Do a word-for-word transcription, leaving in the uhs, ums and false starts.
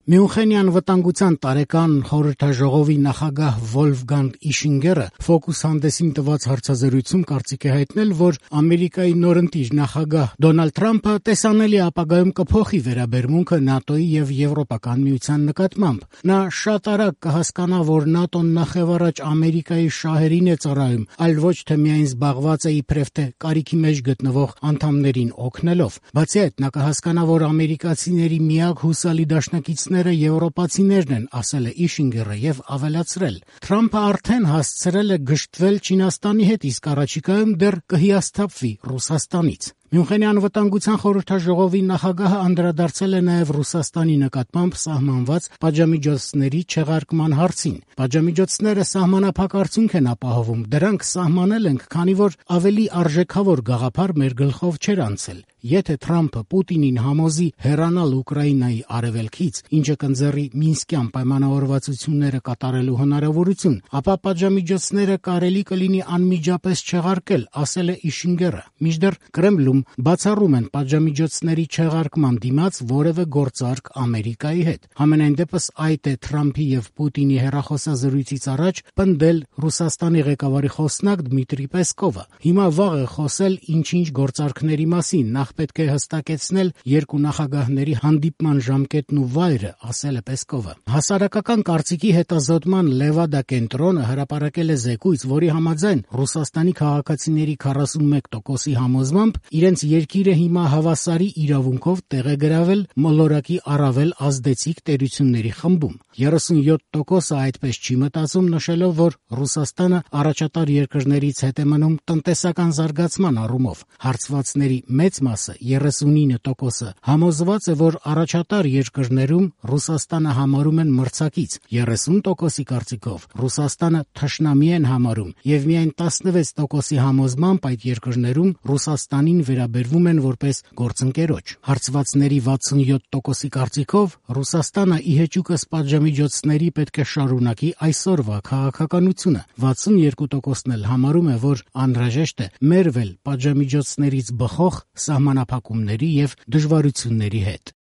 Մյունխենյան վտանգության տարեկան խորհրդաժողովի նախագահ Վոլֆգանգ Իշինգերը Focus հանդեսին տված հարցազրույցում կարծիք է հայտնել, որ Ամերիկայի նորընտիր նախագահ Դոնալդ Թրամփը տեսանելի ապագայում կփոխի վերաբերմունքը ՆԱՏՕ-ի եւ Եվրոպական միության նկատմամբ։ Նա շատ արագ կհասկանա, որ ՆԱՏՕ-ն նախևառաջ Ամերիկայի շահերին է ծառայում, այլ ոչ թե միայն զբաղված է իբրև թե կարիքի մեջ գտնվող անդամներին օգնելով։ Բացի այդ, նա կհասկանա, որ ամերիկացիների միակ հուսալի դաշնակիցները եվրոպացիներն են, ասել է Իշինգերը եւ ավելացրել. Թրամփը արդեն հասցրել է գժտվել Չինաստանի հետ, իսկ առաջիկայում դեռ կհիասթափվի Ռուսաստանից։ Մյունխենյան վտանգության խորհրդաժողովի նախագահը անդրադարձել է նաև Ռուսաստանի նկատմամբ սահմանված պատժամիջոցների չեղարկման հարցին։ Պատժամիջոցները սահմանափակ արդյունք են ապահովում, դրանք սահմանել ենք, քանի որ ավելի արժեքավոր գաղափար մեր գլխով չէր անցել։ Եթե Թրամփը Պուտինին համոզի հեռանալ Ուկրաինայի արևելքից, ինչը կընձեռի Մինսկյան պայմանավորվածությունները կատարելու հնարավորություն, ապա պատժամիջոցները կարելի կլինի անմիջապես չեղարկել, ասել է Իշինգերը։ Մինչդեռ Կրեմլում բացառում են պատժամիջոցների չեղարկման դիմաց որևէ գործարք Ամերիկայի հետ։ Համենայն դեպս այդ է Թրամփի եւ Պուտինի հեռախոսազրույցից առաջ պնդել Ռուսաստանի ղեկավարի խոսնակ Դմիտրի Պեսկովը։ Հիմա վաղ է խոսել ինչ-ինչ գործարքների մասին, նախ պետք է հստակեցնել երկու նախագահների հանդիպման ժամկետն ու վայրը, ասել է Պեսկովը։ Հասարակական կարծիքի հետազոտման Լևադա կենտրոնը հրապարակել է զեկույց, որի համաձայն Ռուսաստանի քաղաքացիների քառասունմեկ տոկոսի համոզմամբ իրենց երկիրը հիմա հավասարի իրավունքով տեղ է գրավել մոլորակի առավել ազդեցիկ տերությունների խմբում։ երեսունյոթ տոկոսը այդպես չի մտածում, նշելով, որ Ռուսաստանը առաջատար երկրներից հետ է մնում տնտեսական զարգացման առումով։ Հարցվածների մեծ մասը, երեսունինը տոկոսը, համոզված է, որ առաջատար երկրներում Ռուսաստանը համարում են մրցակից, երեսուն տոկոսի կարծիքով Ռուսաստանը թշնամի են համարում եւ միայն տասնվեց տոկոսի համոզմամբ այդ երկրներում Ռուսաստանին վերաբերվում են որպես գործընկերոջ։ Հարցվածների վաթսունյոթ տոկոսի կարծիքով Ռուսաստանը ի հեճուկս պատժամիջոցների պետք է շարունակի այսօրվա քաղաքականությունը։ վաթսունյոթ տոկոսն էլ համարում է, որ անհրաժեշտ է մերվել պատժամիջոցներից բխող սահմանափակումների եւ դժվարությունների հետ։